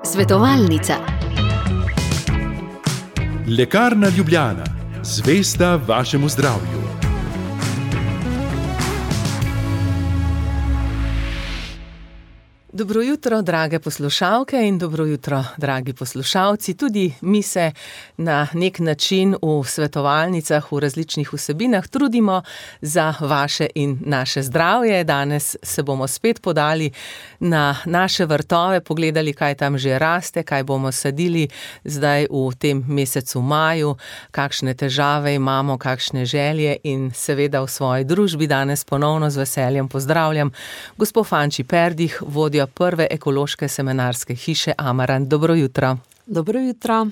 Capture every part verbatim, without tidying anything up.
Svetovalnica. Lekarna Ljubljana, zvesta vašemu zdravju. Dobro jutro, drage poslušalke in dobro jutro, dragi poslušalci. Tudi mi se na nek način v svetovalnicah, v različnih vsebinah trudimo za vaše in naše zdravje. Danes se bomo spet podali na naše vrtove, pogledali, kaj tam že raste, kaj bomo sadili zdaj v tem mesecu maju, kakšne težave imamo, kakšne želje in seveda v svoji družbi danes ponovno z veseljem pozdravljam gospo Fanči Perdih, vodjo prve ekološke semenarske hiše Amarant. Dobro jutro. Dobro jutro.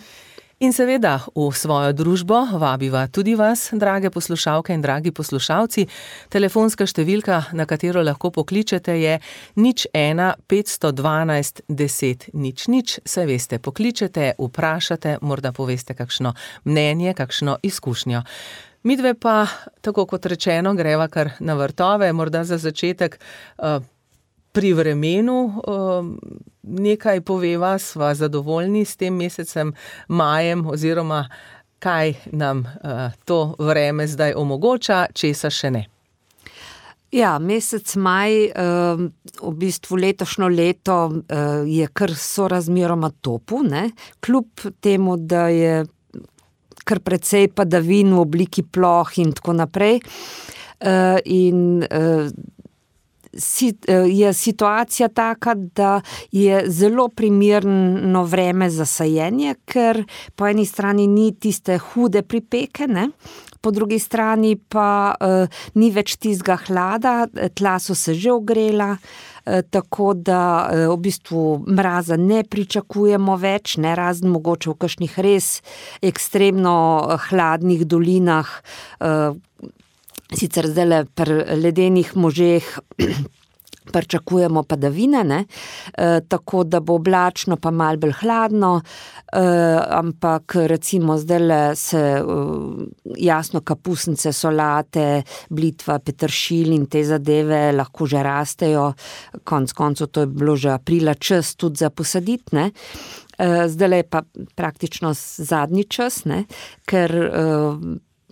In seveda v svojo družbo vabiva tudi vas, drage poslušalke in dragi poslušalci. Telefonska številka, na katero lahko pokličete, je nič ena petsto dvanajst deset nič nič. Saj veste, pokličete, vprašate, morda poveste kakšno mnenje, kakšno izkušnjo. Midve pa, tako kot rečeno, greva kar na vrtove, morda za začetek uh, pri vremenu nekaj poveva, sva zadovoljni s tem mesecem majem oziroma kaj nam to vreme zdaj omogoča, česa še ne. Ja, mesec maj, v bistvu letošnjo leto je kar sorazmeroma topu, ne? Kljub temu, da je kar precej padavin v obliki ploh in tako naprej. In je situacija taka, da je zelo primerno vreme za sajenje, ker po eni strani ni tiste hude pripeke, ne? Po drugi strani pa uh, ni več tistega hlada, tla so se že ogrela, uh, tako da uh, v bistvu mraza ne pričakujemo več, ne, razen mogoče v kakšnih res ekstremno hladnih dolinah, uh, sicer zdajle pri ledenih možeh pričakujemo padavine, ne? E, tako da bo oblačno pa malo bolj hladno, e, ampak recimo zdajle se e, jasno kapusnice, solate, blitva, peteršilj in te zadeve lahko že rastejo, konec koncev to je bilo že aprila čas tudi za posaditi, ne? E, zdajle je pa praktično zadnji čas, ne? Ker e,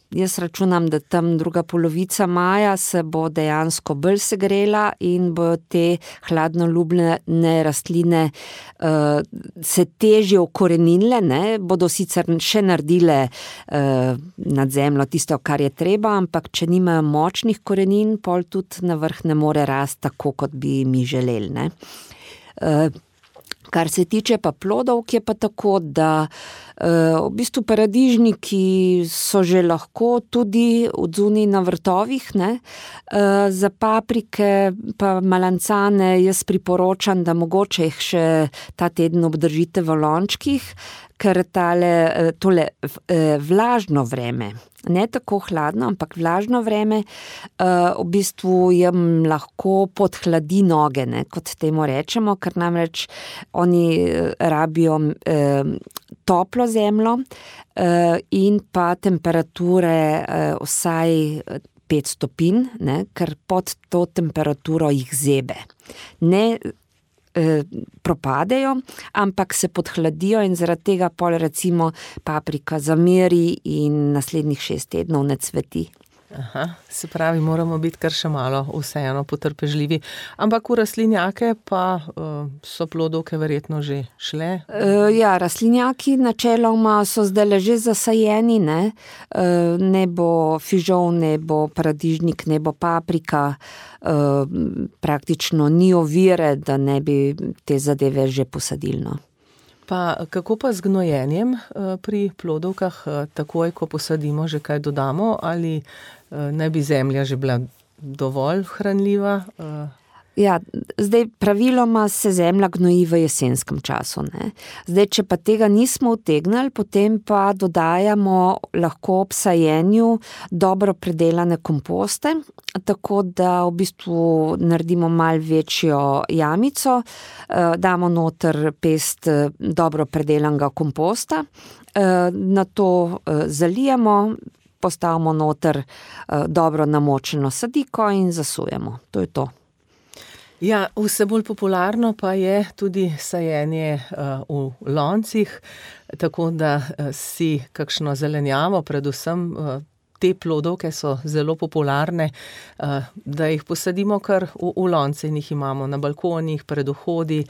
jaz računam, da tam druga polovica maja se bo dejansko bolj segrela in bojo te hladnoljubne rastline uh, se težje ukoreninile, ne, bodo sicer še naredile uh, nad zemljo tisto, kar je treba, ampak če nimajo močnih korenin, pol tudi na vrh ne more rasti tako, kot bi mi želeli, ne. Uh, Kar se tiče pa plodovk, je pa tako, da uh, v bistvu paradižniki so že lahko tudi odzunaj na vrtovih, ne. Uh, za paprike pa malancane jaz priporočam, da mogoče jih še ta teden obdržite v lončkih, ker tale, tole vlažno vreme, ne tako hladno, ampak vlažno vreme, v bistvu jim lahko podhladi noge, ne, kot temu rečemo, ker namreč oni rabijo toplo zemljo in pa temperature vsaj pet stopinj, ne, ker pod to temperaturo jih zebe. Ne propadejo, ampak se podhladijo in zaradi tega pol recimo paprika zameri in naslednjih šest tednov ne cveti. Aha, se pravi, moramo biti kar še malo vseeno potrpežljivi. Ampak v rastlinjake pa uh, so plodovke verjetno že šle? Uh, ja, rastlinjaki načeloma so zdajle že zasajeni, ne? Uh, ne bo fižol, ne bo paradižnik, ne bo paprika. Uh, praktično ni ovire, da ne bi te zadeve že posadili, no. Pa kako pa z gnojenjem pri plodovkah, takoj, ko posadimo, že kaj dodamo, ali ne bi zemlja že bila dovolj hranljiva? Ja, zdaj praviloma se zemlja gnoji v jesenskem času, ne. Zdaj, če pa tega nismo utegnili, potem pa dodajamo lahko ob sajenju dobro predelane komposte, tako da v bistvu naredimo malo večjo jamico, damo noter pest dobro predelanega komposta, na to zalijemo, postavimo noter dobro namočeno sadiko in zasujemo. To je to. Ja, vse bolj popularno pa je tudi sajenje uh, v loncih, tako da uh, si kakšno zelenjavo, predvsem uh, te plodovke so zelo popularne, uh, da jih posadimo kar v, v lonce in jih imamo na balkonih, pred vhodi,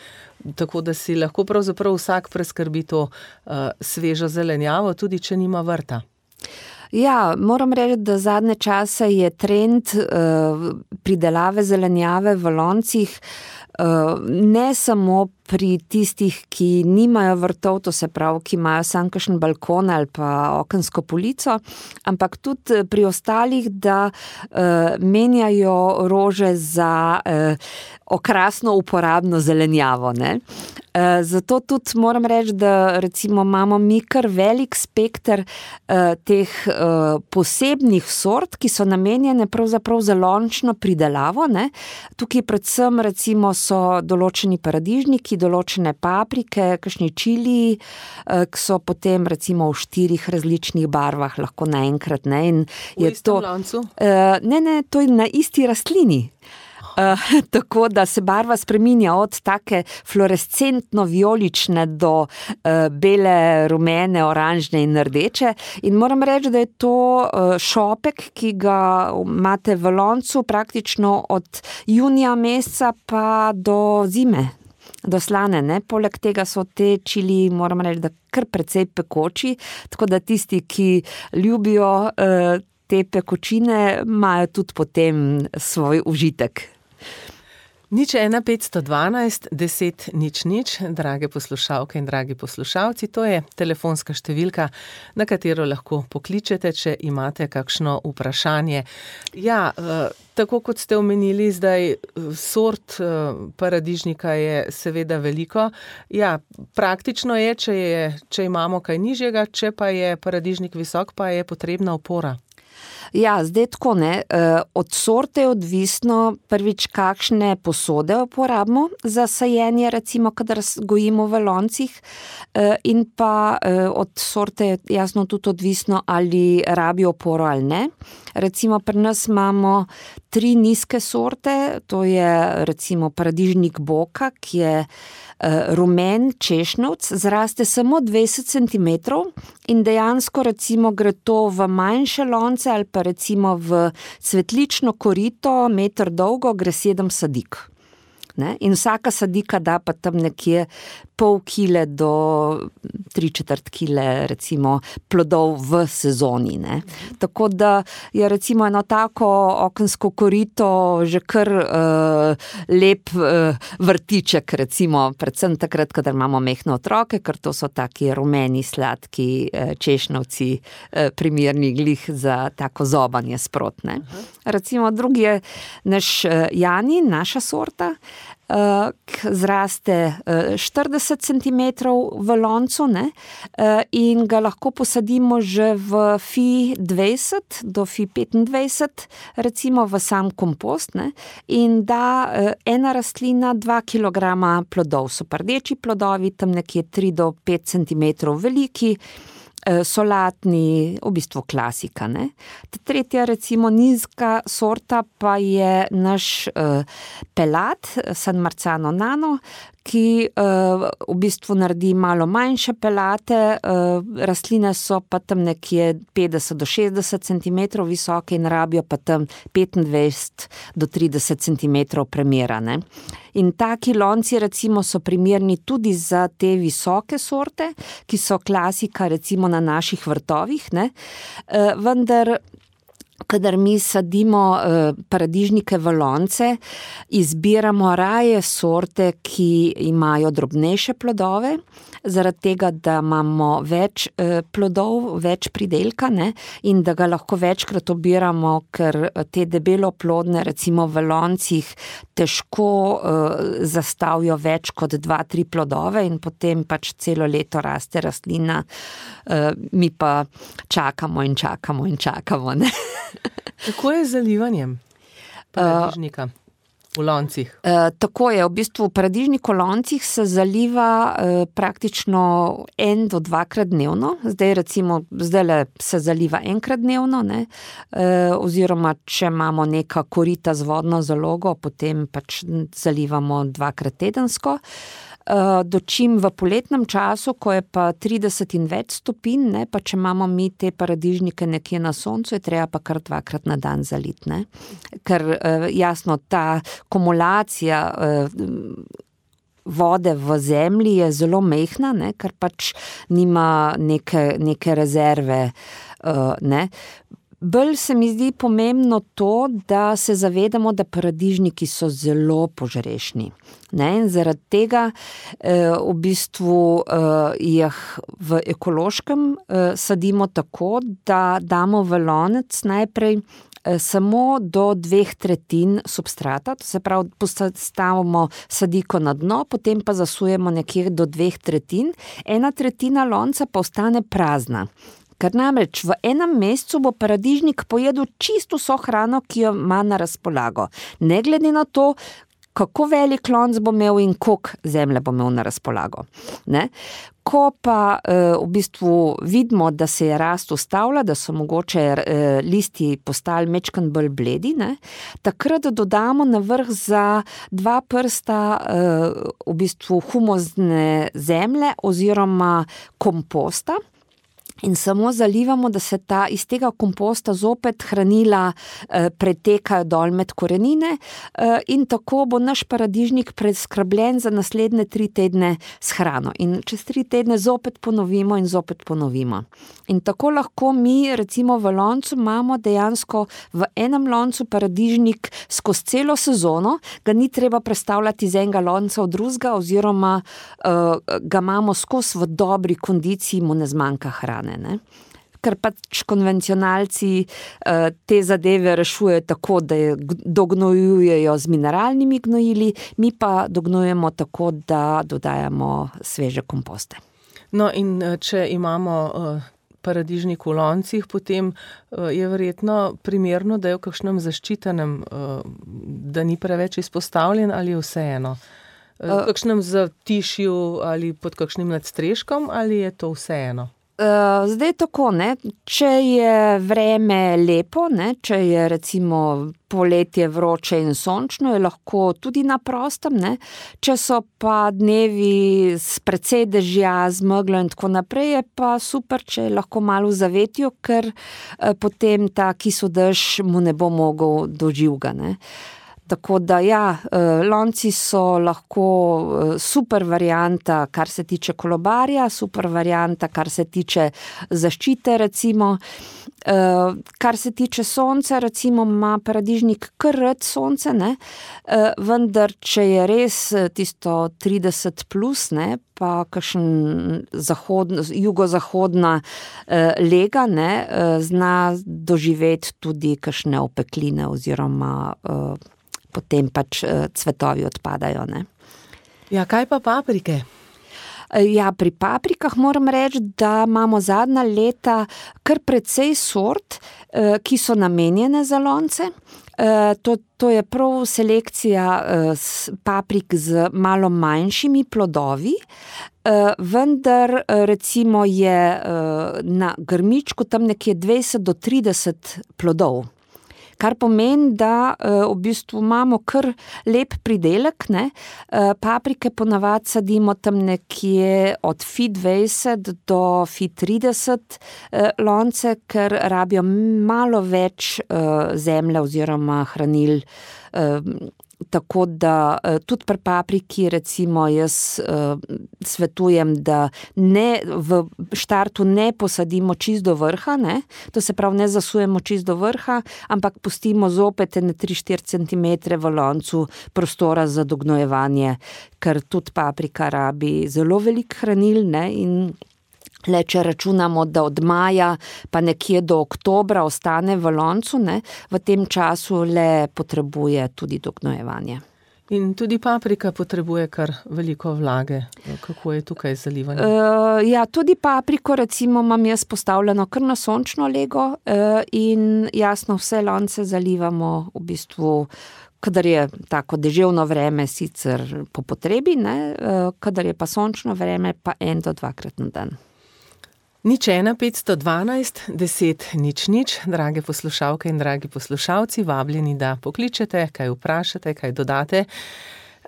tako da si lahko pravzaprav vsak preskrbi to uh, svežo zelenjavo, tudi če nima vrta. Ja, moram reči, da zadnje čase je trend uh, pridelave zelenjave v loncih uh, ne samo pri tistih, ki nimajo vrtov, to se pravi, ki imajo samo kakšen balkon ali pa okensko polico, ampak tudi pri ostalih, da uh, menjajo rože za uh, okrasno uporabno zelenjavo, ne. Uh, zato tudi moram reči, da recimo imamo mi kar velik spekter uh, teh uh, posebnih sort, ki so namenjene pravzaprav za lončno pridelavo, ne. Tukaj predvsem recimo so določeni paradižniki, določene paprike, kakšni čiliji, uh, ki so potem recimo v štirih različnih barvah lahko naenkrat, ne. In v istem loncu? Uh, ne, ne, to je na isti rastlini. Uh, tako da se barva spreminja od take fluorescentno vijolične do uh, bele, rumene, oranžne in rdeče. In moram reči, da je to uh, šopek, ki ga imate v loncu praktično od junija meseca pa do zime, do slane, ne. Poleg tega so te čili, moram reči, da kar precej pekoči, tako da tisti, ki ljubijo uh, te pekočine, imajo tudi potem svoj užitek. Nič ena petsto dvanajst deset nič nič, drage poslušalke in dragi poslušalci, to je telefonska številka, na katero lahko pokličete, če imate kakšno vprašanje. Ja, tako kot ste omenili, zdaj sort paradižnika je seveda veliko. Ja, praktično je, če je, če imamo kaj nižjega, če pa je paradižnik visok, pa je potrebna opora. Ja, zdaj tako, ne, od sorte je odvisno prvič, kakšne posode uporabimo za sajenje, recimo, kadar gojimo v loncih, in pa od sorte je jasno tudi odvisno, ali rabi oporo ali ne. Recimo, pri nas imamo tri nizke sorte, to je recimo paradižnik Boka, ki je rumen češnjevc, zraste samo dvajset centimetrov in dejansko recimo gre to v manjše lonce ali pa recimo v cvetlično korito, meter dolgo, gre sedem sadik. Ne? In vsaka sadika da pa tam nekje pol kile do tri četrt kile recimo plodov v sezoni, ne. Tako da je recimo eno tako okensko korito že kar uh, lep uh, vrtiček, recimo, predvsem takrat, kadar imamo mehne otroke, ker to so taki rumeni, sladki uh, češnjevci, uh, primerni glih za tako zobanje sprotne. Recimo drugi je naš uh, Jani, naša sorta, Uh, zraste uh, štirideset centimetrov v loncu, ne, uh, in ga lahko posadimo že v fi dvajset do fi petindvajset, recimo v sam kompost, ne, in da uh, ena rastlina dva kilograma plodov, so pa rdeči plodovi, tam nekje tri do pet centimetrov veliki, solatni, v bistvu klasika, ne. Tretja recimo nizka sorta pa je naš uh, pelat, San Marzano Nano, ki uh, v bistvu naredi malo manjše pelate, uh, rastline so pa tam nekje petdeset do šestdeset centimetrov visoke in rabijo pa tam petindvajset do trideset centimetrov premera, ne. In taki lonci recimo so primerni tudi za te visoke sorte, ki so klasika recimo na naših vrtovih, ne, uh, vendar kadar mi sadimo uh, paradižnike v lonce, izbiramo raje sorte, ki imajo drobnejše plodove, zaradi tega, da imamo več uh, plodov, več pridelka, ne, in da ga lahko večkrat obiramo, ker te debeloplodne recimo v loncih težko uh, zastavijo več kot dva, tri plodove in potem pač celo leto raste rastlina, uh, mi pa čakamo in čakamo in čakamo, ne. Kako je z zalivanjem paradižnika V loncih. E, tako je, v bistvu v paradižnik v loncih se zaliva e, praktično en do dvakrat dnevno. Zdaj recimo, zdajle se zaliva enkrat dnevno, ne? E, oziroma če imamo neka korita z vodno zalogo, potem pač zalivamo dvakrat tedensko. Dočim v poletnem času, ko je pa trideset in več stopinj, ne, pa če imamo mi te paradižnike nekje na soncu, je treba pa kar dvakrat na dan zaliti, ne. Ker jasno, ta kumulacija vode v zemlji je zelo mehna, ne, ker pač nima neke, neke rezerve, ne. Bolj se mi zdi pomembno to, da se zavedamo, da paradižniki so zelo požrešni. Ne? In zaradi tega eh, v bistvu eh, jih v ekološkem eh, sadimo tako, da damo v lonec najprej eh, samo do dveh tretjin substrata, to se pravi, postavimo sadiko na dno, potem pa zasujemo nekje do dveh tretjin, ena tretjina lonca pa ostane prazna. Ker namreč v enem mesecu bo paradižnik pojedel čisto vso hrano, ki jo ima na razpolago. Ne glede na to, kako velik lonc bo imel in koliko zemlje bo imel na razpolago. Ne? Ko pa eh, v bistvu vidimo, da se je rast ustavila, da so mogoče eh, listi postali mečkan bolj bledi, ne? Takrat dodamo na vrh za dva prsta eh, v bistvu humozne zemlje oziroma komposta. In samo zalivamo, da se ta, iz tega komposta zopet hranila eh, pretekajo dol med korenine eh, in tako bo naš paradižnik preskrbljen za naslednje tri tedne s hrano. In čez tri tedne zopet ponovimo in zopet ponovimo. In tako lahko mi recimo v loncu imamo dejansko v enem loncu paradižnik skozi celo sezono, ga ni treba prestavljati iz enega lonca v drugega oziroma eh, ga imamo skozi v dobri kondiciji, mu ne zmanjka hrane. Ne? Ker pač konvencionalci eh, te zadeve rešujejo tako, da je dognojujejo z mineralnimi gnojili, mi pa dognojujemo tako, da dodajamo sveže komposte. No in če imamo uh, paradižnik v loncih, potem uh, je verjetno primerno, da je v kakšnem zaščitenem, uh, da ni preveč izpostavljen ali je vseeno? Uh, v kakšnem zatišju ali pod kakšnim nadstreškom ali je to vseeno? Zdaj tako, ne, če je vreme lepo, ne, če je recimo poletje vroče in sončno, je lahko tudi na prostem, ne, če so pa dnevi s precej dežja, z meglo in tako naprej, je pa super, če je lahko malo v zavetju, ker eh, potem ta kisodež mu ne bo mogel do živega, ne. Tako da ja, lonci so lahko super varianta, kar se tiče kolobarja, super varianta, kar se tiče zaščite recimo. Kar se tiče sonca, recimo ima paradižnik kar rad sonce, ne? Vendar če je res tisto trideset plus, ne? Pa kakšen zahodna, jugozahodna lega, ne? Zna doživeti tudi kakšne opekline oziroma potem pač cvetovi odpadajo, ne. Ja, kaj pa paprike? Ja, pri paprikah moram reči, da imamo zadnja leta kar precej sort, ki so namenjene za lonce. To, to je prav selekcija paprik z malo manjšimi plodovi, vendar recimo je na grmičku tam nekje dvajset do trideset plodov. Kar pomeni, da v bistvu imamo kar lep pridelek, ne. Paprike ponavadi sadimo tam nekje od fi dvajset do fi trideset lonce, ker rabijo malo več zemlje oziroma hranil. Tako da tudi pri papriki recimo jaz svetujem, da ne, v štartu ne posadimo čist do vrha, ne, to se pravi ne zasujemo čist do vrha, ampak pustimo zopet ene tri štiri centimetre v loncu prostora za dognojevanje, ker tudi paprika rabi zelo veliko hranil, ne, in le če računamo, da od maja pa nekje do oktobra ostane v loncu, ne, v tem času le potrebuje tudi dognojevanje. In tudi paprika potrebuje kar veliko vlage. Kako je tukaj zalivanje? Uh, ja, tudi papriko recimo imam jaz postavljeno kar na sončno lego uh, in jasno vse lonce zalivamo v bistvu kadar je tako deževno vreme sicer po potrebi, ne, kadar je pa sončno vreme, pa en do dvakrat na dan. Nič ena, petsto dvanajst, deset, nič nič, drage poslušalke in dragi poslušalci, vabljeni, da pokličete, kaj vprašate, kaj dodate.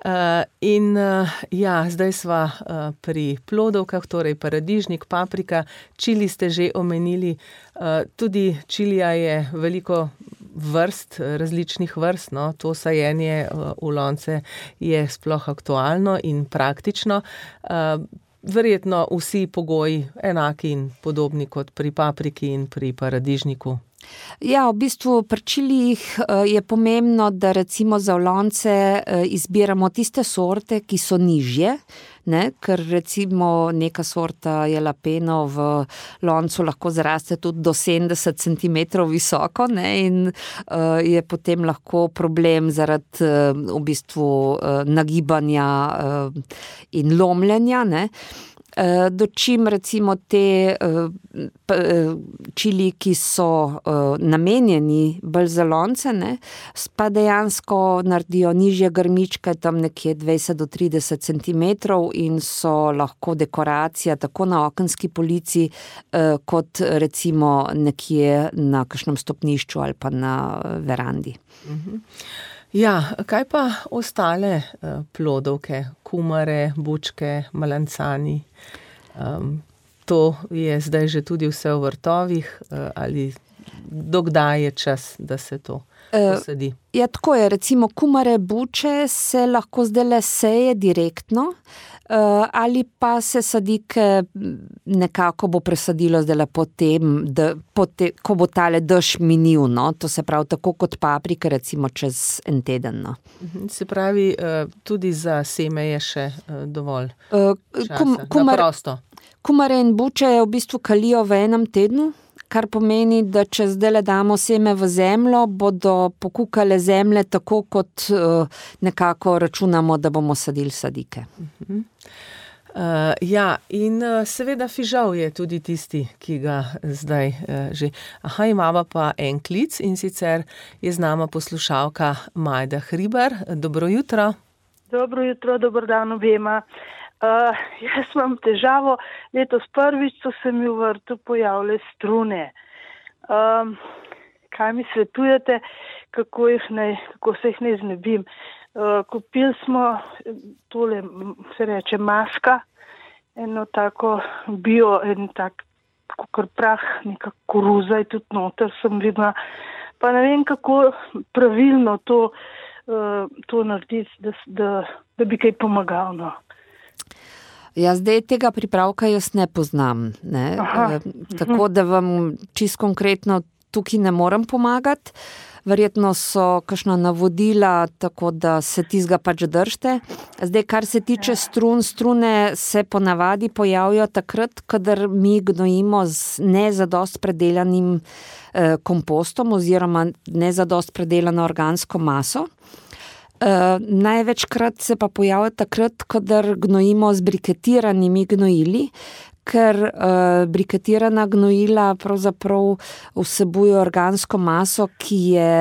Uh, in uh, ja, zdaj sva uh, pri plodovkah, torej paradižnik, paprika, čili ste že omenili, uh, tudi čilija je veliko vrst, različnih vrst, no, to sajenje uh, v lonce je sploh aktualno in praktično. Uh, verjetno vsi pogoji enaki in podobni kot pri papriki in pri paradižniku. Ja, v bistvu pri čilijih je pomembno, da recimo za v lonce izbiramo tiste sorte, ki so nižje, ne, ker recimo neka sorta jalapeno v loncu lahko zraste tudi do sedemdeset centimetrov visoko, ne, in uh, je potem lahko problem zaradi uh, v bistvu uh, nagibanja uh, in lomljenja, ne. Dočim recimo te čili, ki so namenjeni bolj za lonce, ne, pa dejansko naredijo nižje grmičke, tam nekje dvajset do trideset centimetrov in so lahko dekoracija tako na okenski polici, kot recimo nekje na kakšnem stopnišču ali pa na verandi. Mhm. Ja, kaj pa ostale uh, plodovke, kumare, bučke, malancani? Um, to je zdaj že tudi vse v vrtovih, uh, ali dokdaj je čas, da se to posadi? Uh, ja, tako je, recimo kumare, buče se lahko zdajle seje direktno, uh, ali pa se sadike nekako bo presadilo zdajle potem, da, potem, ko bo tale dež minil, no? To se pravi tako kot paprika, recimo čez en teden. No? Se pravi, tudi za seme je še dovolj uh, časa, kum, kumar, na prosto. Kumare in buče v bistvu kalijo v enem tednu, kar pomeni, da če zdaj damo seme v zemljo, bodo pokukale zemlje tako, kot uh, nekako računamo, da bomo sadili sadike. Uh-huh. Uh, ja, in uh, seveda fižol je tudi tisti, ki ga zdaj uh, že... Aha, imamo pa en klic in sicer je z nama poslušalka Majda Hribar. Dobro jutro. Dobro jutro, dober dan obema. Uh, jaz imam težavo, letos prvič so se mi v vrtu pojavile strune. Um, kaj mi svetujete, kako, jih ne, kako se jih ne znebim? Uh, kupili smo tole, se reče, maska, eno tako bio, en tak, kakor prah, neka koruza je tudi noter, sem videla. Pa ne vem, kako pravilno to, uh, to narediti, da, da, da bi kaj pomagalo. No. Ja, zdaj tega pripravka jaz ne poznam, ne? E, tako da vam čisto konkretno tukaj ne morem pomagati. Verjetno so kakšna navodila, tako da se tizga pač držite. Zdaj, kar se tiče strun, strune se ponavadi pojavijo takrat, kadar mi gnojimo z nezadost predelanim eh, kompostom oziroma nezadost predelano organsko maso. Uh, največkrat se pa pojavlja takrat, kadar gnojimo z briketiranimi gnojili, ker uh, briketirana gnojila pravzaprav vsebuje organsko maso, ki je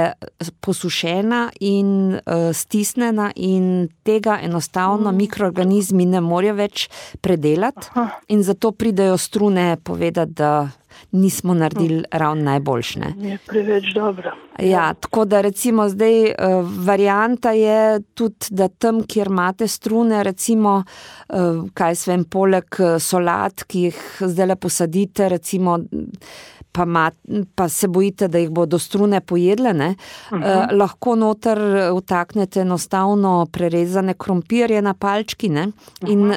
posušena in uh, stisnjena in tega enostavno mm. mikroorganizmi ne morejo več predelati. Aha. In zato pridejo strune povedati, da nismo naredili ravno najboljšne. Je preveč dobro. Ja, tako da recimo zdaj uh, varianta je tudi, da tam, kjer imate strune, recimo, uh, kaj se vem, poleg solat, ki jih zdaj posadite, recimo, pa, mat, pa se bojite, da jih bodo strune pojedle, ne? Uh-huh. Uh, lahko noter vtaknete enostavno prerezane krompirje na palčki, ne? In uh,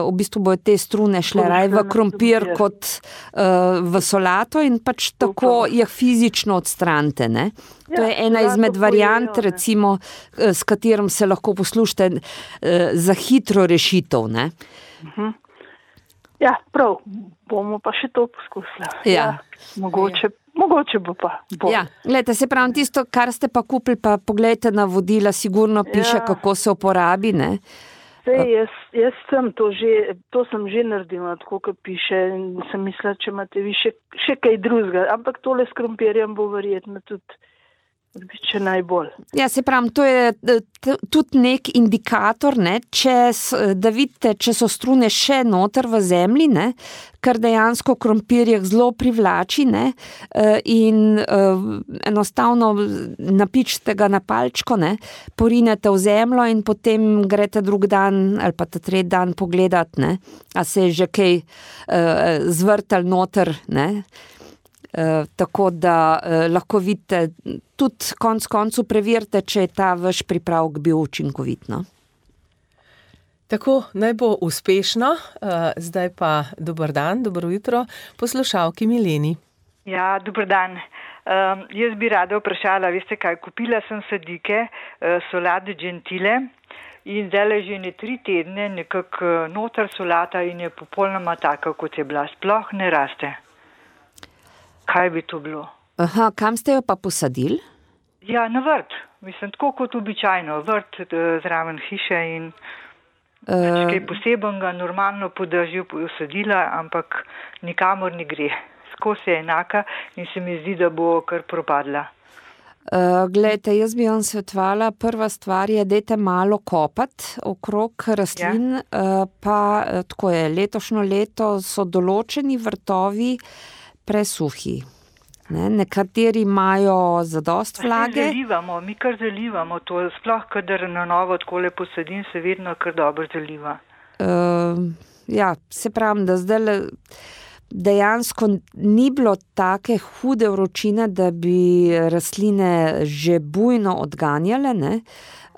v bistvu bojo te strune šle raj v krompir kot uh, v solato in pač tako jih fizično odstranite, ne? Ja, to je ena izmed variant, recimo, s katerim se lahko poslušate uh, za hitro rešitev, ne? Uh-huh. Ja, prav, bomo pa še to poskusili. Ja. Ja, mogoče, ja. mogoče bo pa. Bo. Ja, gledajte, se pravi, tisto, kar ste pa kupili, pa pogledajte navodila, sigurno piše, ja. Kako se uporabi, ne? Sej, jaz, jaz sem to že, to sem že naredila, tako kot piše, in sem mislila, če imate vi še, še kaj drugega, ampak tole s krompirjem bo verjetno tudi Še najbolj. Ja, se pravim, to je tudi nek indikator, ne, če, da vidite, če so strune še noter v zemlji, ne, kar dejansko krompirjih zelo privlači, ne, in enostavno napičite ga na palčko, ne, porinete v zemljo in potem greste drug dan ali pa ta tretji dan pogledat, ne, a se je že kaj zvrtal noter, ne. Uh, tako da uh, lahko vidite, tudi konc koncu preverite, če je ta vaš pripravek bil učinkovit. No? Tako, naj bo uspešno. Uh, zdaj pa dober dan, dobro jutro, poslušalki Mileni. Ja, dober dan. Um, jaz bi rada vprašala, veste kaj, kupila sem sadike, uh, solate gentile in zdaj že ne tri tedne nekako noter solata in je popolnoma taka, kot je bila. Sploh ne raste. Kaj bi to bilo? Aha, kam ste jo pa posadili? Ja, na vrt. Mislim, tako kot običajno. Vrt zraven hiše in uh, kaj posebenega, normalno po dežju posadila, ampak nikamor ne gre. Skozi je enaka in se mi zdi, da bo kar propadla. Uh, Glejte, jaz bi vam svetovala, prva stvar je, dajte malo kopati okrog rastlin, ja. uh, pa tako je, letošnjo leto so določeni vrtovi presuhi. Ne, nekateri imajo zadost vlage. Mi zalivamo, mi kar zalivamo to, sploh kadar na novo takole posadim, se vedno kar dobro zaliva. Uh, ja, se pravim, da zdaj dejansko ni bilo take hude vročine, da bi rastline že bujno odganjale, ne.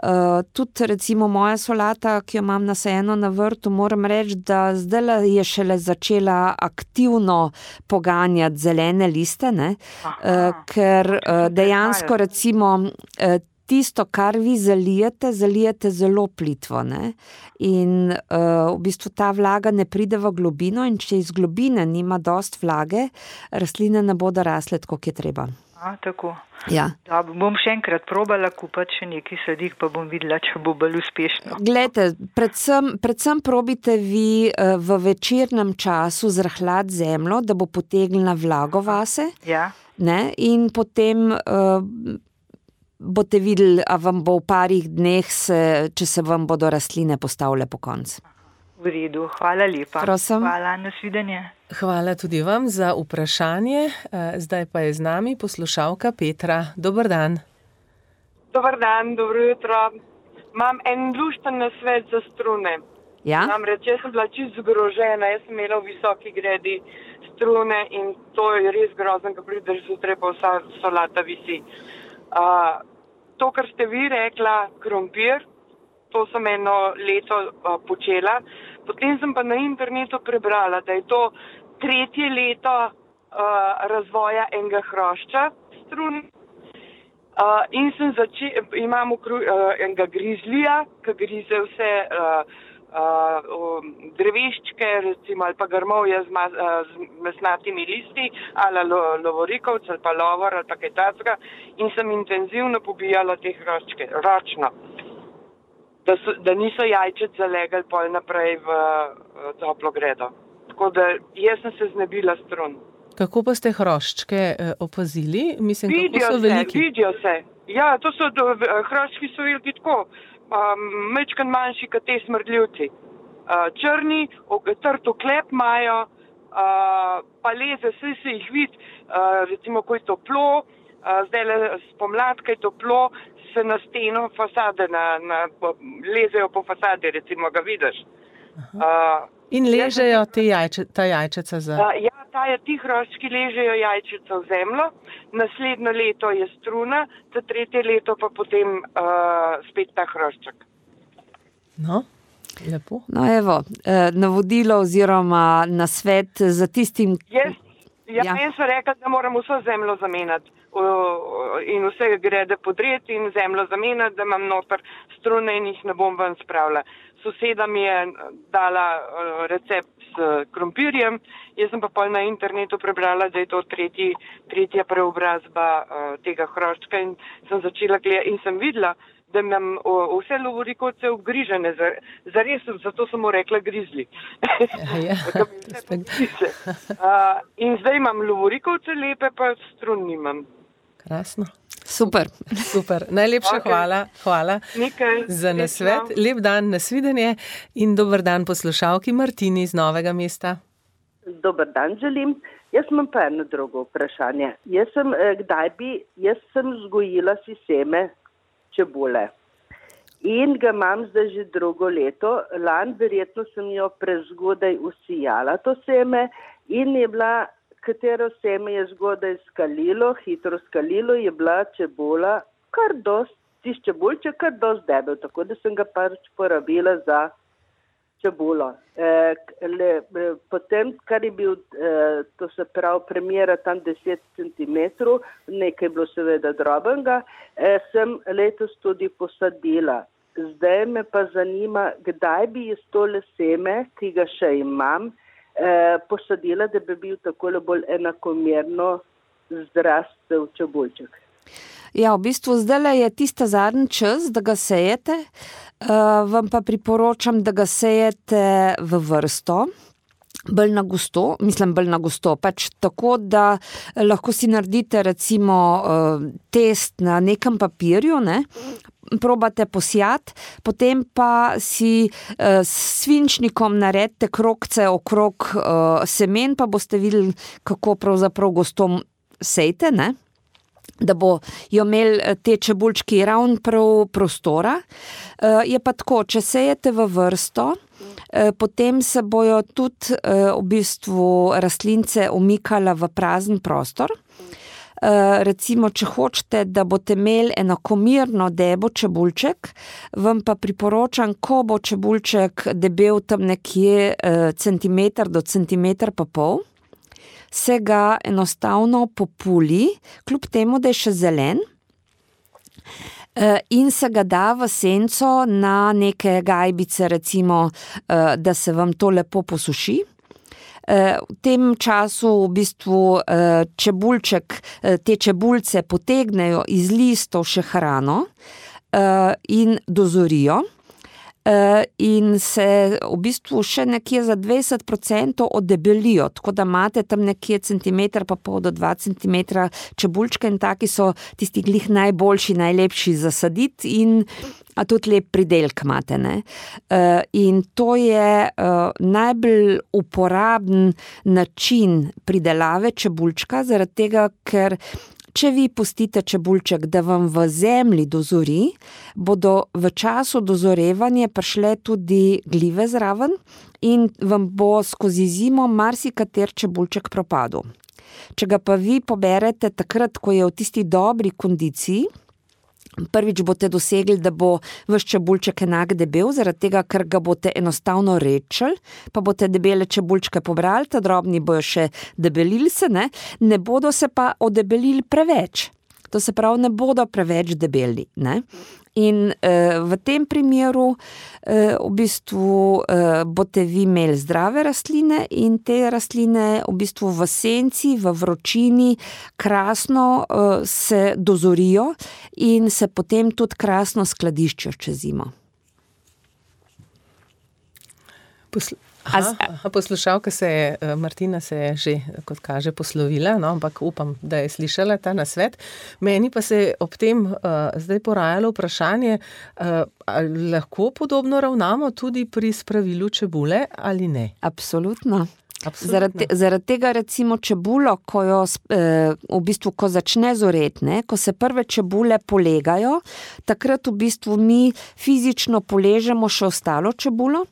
Uh, tudi recimo moja solata, ki jo imam nasajeno na vrtu, moram reči, da zdaj je šele začela aktivno poganjati zelene liste, ne? Uh, ker uh, dejansko recimo uh, tisto, kar vi zalijete, zalijete zelo plitvo, ne? In uh, v bistvu ta vlaga ne pride v globino in če iz globine nima dost vlage, rastline ne bodo rasle tako, kot je treba. A, tako. Ja. Da, bom še enkrat probala kupati še nekaj sadik, pa bom videla, če bo bolj uspešno. Glejte, predvsem, predvsem probite vi uh, v večernem času zrahljati zemljo, da bo potegnila vlago vase. Ja. Ne? In potem uh, boste videli, a vam bo v parih dneh, se, če se vam bodo rastline postavile po koncu. V redu, hvala lepa. Prosim. Hvala, nasvidenje. Hvala tudi vam za vprašanje. Zdaj pa je z nami poslušalka Petra. Dober dan. Dober dan, dobro jutro. Imam en lušten nasvet za strune. Ja? Namreč, jaz sem bila čisto zgrožena, jaz sem imela v visoki gredi strune in to je res grozno, ko prideš zjutraj, pa vsa solata visi. Uh, to, kar ste vi rekla, krompir, to sem eno leto uh, počela. Potem sem pa na internetu prebrala, da je to tretje leto uh, razvoja enega hrošča strun. Uh, in sem začela, imam okru, uh, enega grizlija, ki grize vse uh, uh, dreveščke, recimo, ali pa grmovje z, ma, uh, z mesnatimi listi, ali lo, lovorikovc, ali pa lovor, ali pa kaj takega. In sem intenzivno pobijala te hroščke, ročno. Da, so, da niso jajčet zalegali pol naprej v, v toplo gredo. Tako da jaz sem se znebila strun. Kako pa ste hroščke eh, opazili? Mislim, vidijo kako so se, veliki? Vidijo se. Ja, to so do, hroščki so veliki tako, um, mečkan manjši kot te smrdljivci. Uh, črni, trto klep imajo, uh, pa leze, vse se jih vidi, uh, recimo, ko je toplo, uh, zdaj le spomlad, ko je toplo, se na steno fasade, na, na, lezejo po fasade, recimo ga vidiš. Uh, In ležejo te jajče, ta jajčeca za... Uh, ja, ta je, ti hroščki ležejo jajčeca v zemljo, naslednjo leto je struna, za tretje leto pa potem uh, spet ta hrošček. No, lepo. No, evo, navodilo oziroma nasvet za tistim... Jaz, ja, ja. jaz sem rekla, da moram vso zemljo zamenjati in vse grede podreti in zemljo zamenjati, da imam noter strune in jih ne bom ven spravila. Soseda mi je dala recept s krompirjem, jaz sem pa pol na internetu prebrala, da je to tretji, tretja preobrazba tega hroščka in sem začela gledati in sem videla, da imam vse lovorikovce obgrižene, zares, zato sem mu rekla grizli. Ja, uh, in zdaj imam lovorikovce lepe, pa strun nimam. Krasno. Super. Super. Najlepša Okay. hvala, hvala Nekaj, za nasvet. srečno. Lep dan, nasvidenje in dober dan poslušalki Martini iz Novega mesta. Dober dan želim. Jaz imam pa eno drugo vprašanje. Jaz sem, eh, kdaj bi, jaz sem vzgojila si seme čebule in ga imam zdaj že drugo leto. Lani verjetno sem jo prezgodaj usijala to seme in je bila, katero seme je zgodaj skalilo, hitro skalilo, je bila čebula kar dost, tisti čebulček kar dost debel, tako da sem ga pač porabila za čebulo. E, le, potem, kar je bil, e, to se pravi, premjera tam deset centimetrov, nekaj je bilo seveda drobenega, e, sem letos tudi posadila. Zdaj me pa zanima, kdaj bi jaz tole seme, ki ga še imam, e, posadila, da bi bil takole bolj enakomerno zrastel čebulček. Ja, v bistvu zdaj je tista zadnji čas, da ga sejete. Uh, vam pa priporočam, da ga sejete v vrsto, bolj na gosto, mislim bolj na gosto, pač tako, da lahko si naredite recimo uh, test na nekem papirju, ne? Probate posijati, potem pa si uh, s svinčnikom naredite krogce okrog uh, semen, pa boste videli, kako pravzaprav gosto sejte, ne? Da bo jo imeli te čebulčki ravn prav prostora. Je pa tako, če sejete v vrsto, potem se bojo tudi v bistvu rastlince umikala v prazen prostor. Recimo, če hočete, da boste imeli enakomerno debo čebulček, vam pa priporočam, ko bo čebulček debel tam nekje centimeter do centimeter pa pol, se ga enostavno populi, kljub temu, da je še zelen, in se ga da v senco na neke gajbice, recimo, da se vam to lepo posuši. V tem času v bistvu čebulček, te čebulce potegnejo iz listov še hrano in dozorijo. In se v bistvu še nekje za dvajset procentov oddebelijo, tako da imate tam nekje centimeter pa pol do dva centimetra čebulčka in taki so tisti glih najboljši, najlepši zasaditi in a tudi lep pridelk imate, ne. In to je najbolj uporaben način pridelave čebulčka, zaradi tega, ker če vi pustite čebulček, da vam v zemlji dozori, bodo v času dozorevanja prišle tudi glive zraven in vam bo skozi zimo marsikater čebulček propadel. Če ga pa vi poberete takrat, ko je v tisti dobri kondiciji, prvič boste dosegli, da bo vaš čebulček enak debel, zaradi tega, ker ga boste enostavno rečili, pa boste debele čebulčke pobrali, ta drobni bojo še debelili se, ne, ne bodo se pa odebelili preveč. To se pravi, ne bodo preveč debeli, ne. In eh, v tem primeru eh, v bistvu eh, boste vi imeli zdrave rastline in te rastline v bistvu v senci, v vročini krasno eh, se dozorijo in se potem tudi krasno skladiščijo čez zimo. Posl- Aha, aha, poslušalka se je, Martina se je že, kot kaže, poslovila, no, ampak upam, da je slišala ta nasvet. Meni pa se je ob tem uh, zdaj porajalo vprašanje, uh, ali lahko podobno ravnamo tudi pri spravilu čebule ali ne? Absolutno. Zaradi, zaradi tega recimo čebulo, ko jo eh, v bistvu, ko začne zoreti, ne, ko se prve čebule polegajo, takrat v bistvu mi fizično poležemo še ostalo čebulo,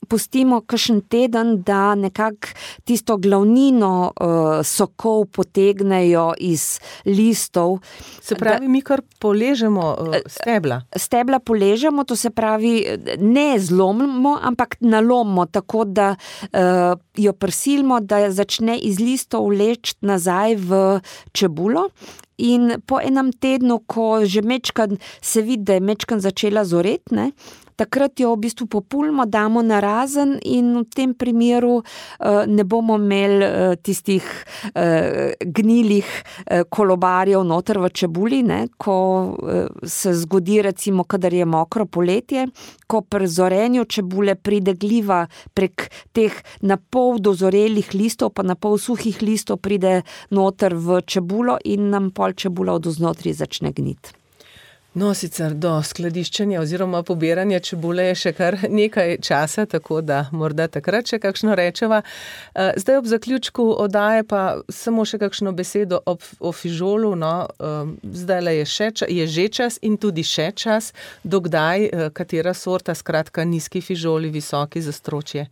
pustimo kakšen teden, da nekako tisto glavnino eh, sokov potegnejo iz listov. Se pravi, da, mi kar poležemo eh, stebla? Stebla poležemo, to se pravi, ne zlomimo, ampak nalomimo, tako da eh, jo prisilimo, da začne iz listov vleči nazaj v čebulo. In po enem tednu, ko že mečkan se vidi, da je mečkan začela zoreti, ne, takrat jo v bistvu populimo, damo na razen in v tem primeru ne bomo imeli tistih gnilih kolobarjev noter v čebuli, ne, ko se zgodi recimo, kadar je mokro poletje, ko pri zorenju čebule pride gliva prek teh napol dozorelih listov, pa napol suhih listov pride noter v čebulo in nam pol čebula od vznotri začne gniti. No, sicer do skladiščenja oziroma pobiranja čebule je še kar nekaj časa, tako da morda takrat še kakšno rečeva. Zdaj ob zaključku oddaje pa samo še kakšno besedo ob, o fižolu. No, zdajle je, še, je že čas in tudi še čas. Dokdaj, katera sorta, skratka nizki fižoli, visoki za stročje?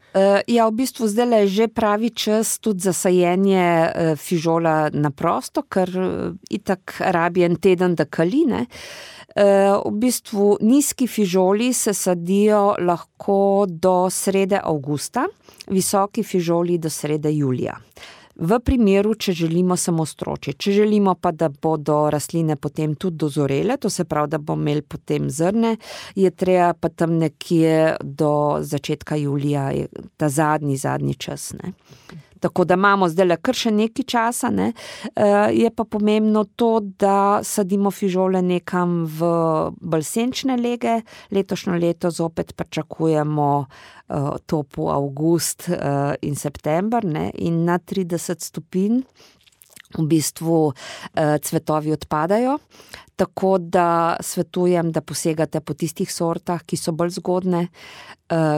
Ja, v bistvu zdajle je že pravi čas tudi za sajenje fižola na prosto, ker itak rabi en teden, da kali, ne. V bistvu nizki fižoli se sadijo lahko do srede avgusta, visoki fižoli do srede julija. V primeru, če želimo samo stročje. Če želimo pa, da bodo rastline potem tudi dozorele, to se pravi, da bomo imeli potem zrne, je treba pa tam nekje do začetka julija, ta zadnji, zadnji čas, ne. Tako da imamo zdaj kar še nekaj časa, ne. Je pa pomembno to, da sadimo fižole nekam v bolj senčne lege. Letošnjo leto zopet pričakujemo topel avgust in september, ne, in na trideset stopinj v bistvu cvetovi odpadajo. Tako da svetujem, da posegate po tistih sortah, ki so bolj zgodne,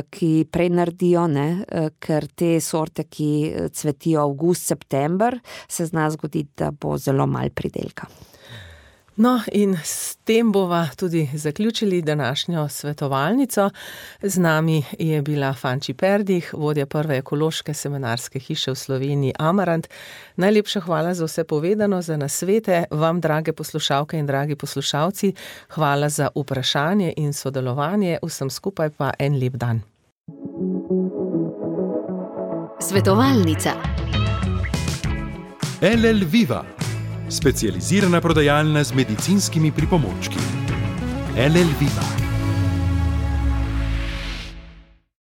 ki prej naredijo, ne, ker te sorte, ki cvetijo avgust, september, se zna zgoditi, da bo zelo malo pridelka. No, in s tem bova tudi zaključili današnjo svetovalnico. Z nami je bila Fanči Perdih, vodja prve ekološke semenarske hiše v Sloveniji Amarant. Najlepša hvala za vse povedano, za nasvete. Vam, drage poslušalke in dragi poslušalci, hvala za vprašanje in sodelovanje. Vsem skupaj pa en lep dan. Svetovalnica. L L Viva. Specializirana prodajalna z medicinskimi pripomočki. L L Viva.